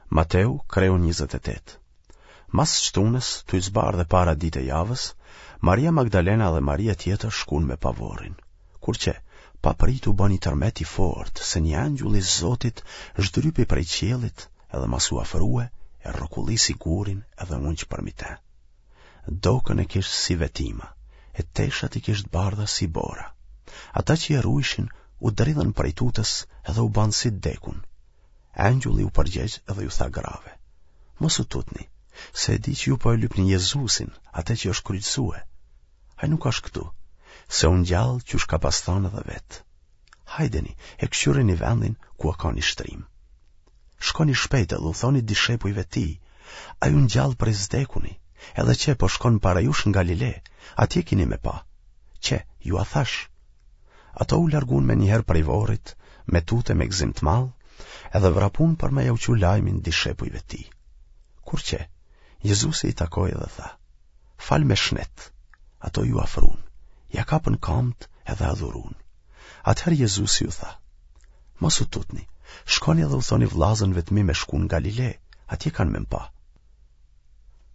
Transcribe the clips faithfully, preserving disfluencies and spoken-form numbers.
Mateu, kreu njëzet e tetë. Mas shtunës, tuj zbardhë e para ditë e javës, Maria Magdalena dhe Maria tjetër shkun me pa vorrin. Kur qe, papritë u ba një tërmet i fortë, se një engjull i Zotit zhdrypi prej qiellit edhe masi u afrue, e rrokullisi gurin edhe u ungj përmi te. Dokën e kish si vetima, e teshat i kish të bardha si bora. Ata që e rujshin u dridhën prej tutës edhe u banë si t'dekun. Engjulli u përgjegj edhe ju tha grave, Mos u tutni, se e di që ju po e lypni Jezusin, atë që është kryqëzue. Ai nuk është këtu, se u ngjall qysh ka pas thanë edhe vetë. Hajdeni, e këqyreni vendin ku a kanë i shtrim. Shkoni shpejt edhe u thoni dishepujve tij, ai u ngjall prej s'dekuni, edhe qe po shkon para jush në Galile, atje kini me pa. Qe, jua thashë. Ato u largun menjëherë prej vorrit, me tutë e me gëzim të madh, edhe vrapun për me jau çu lajmin dishepujve tij. Kur qe, Jezusi i takoi dhe tha, fal me shnet, ato iu afrun, ia kapën kamët edhe e adhurun. Atëherë Jezusi u tha, mos u tutni, shkoni edhe u thoni vllazënve të mi me shku në Galile, atje kanë me m'pa.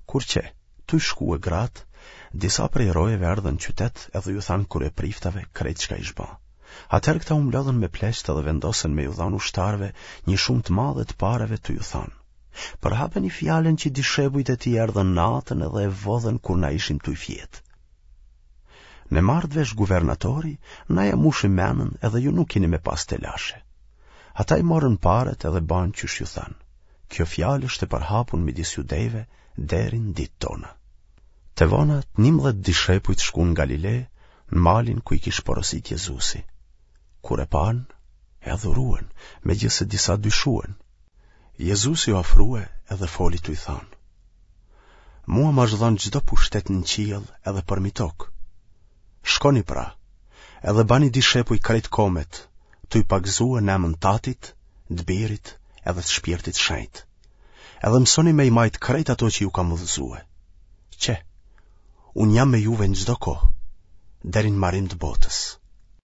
Kur qe, tuj shkue gratë, disa prej rojeve erdhën në qytet edhe ju thanë kryepriftave krejt çka ish ba. Atëherë këta u mblodhën me pleqtë edhe vendosën me ju dhanë ushtarëve një shumë të madhe të pareve tuj ju thanë. Përhapeni fjalën që dishepujt e tij erdhën natën edhe e vodhën kur na ishim tuj fjetë. Me marrë vesh guvernatori, na ja mushim menën edhe ju nuk kini me pas telashe. Ata i morën paret edhe banë qysh ju thanë. Kjo fjalë është e përhapun midis judejve deri në ditë tona. Te vona, të njëmbëdhjetë dishepujt shkun në Galile, në malin ku i kish porosit Jezusi. Kur e panë, e adhuruen, megjithëse disa dyshuen. Jezusi u afrue edhe foli tuj thanë. Mua më është dhënë çdo pushtet në qiell edhe përmi tokë. Shkoni pra, edhe bani dishepuj krejt komet, tuj pagëzue në emën t'Atit, të Birit edhe të Shpirtit Shenjt. Edhe mësoni me i majtë krejt ato që ju kam udhëzue. Qe, unë jam me juve në çdo kohë, deri në marim të botës.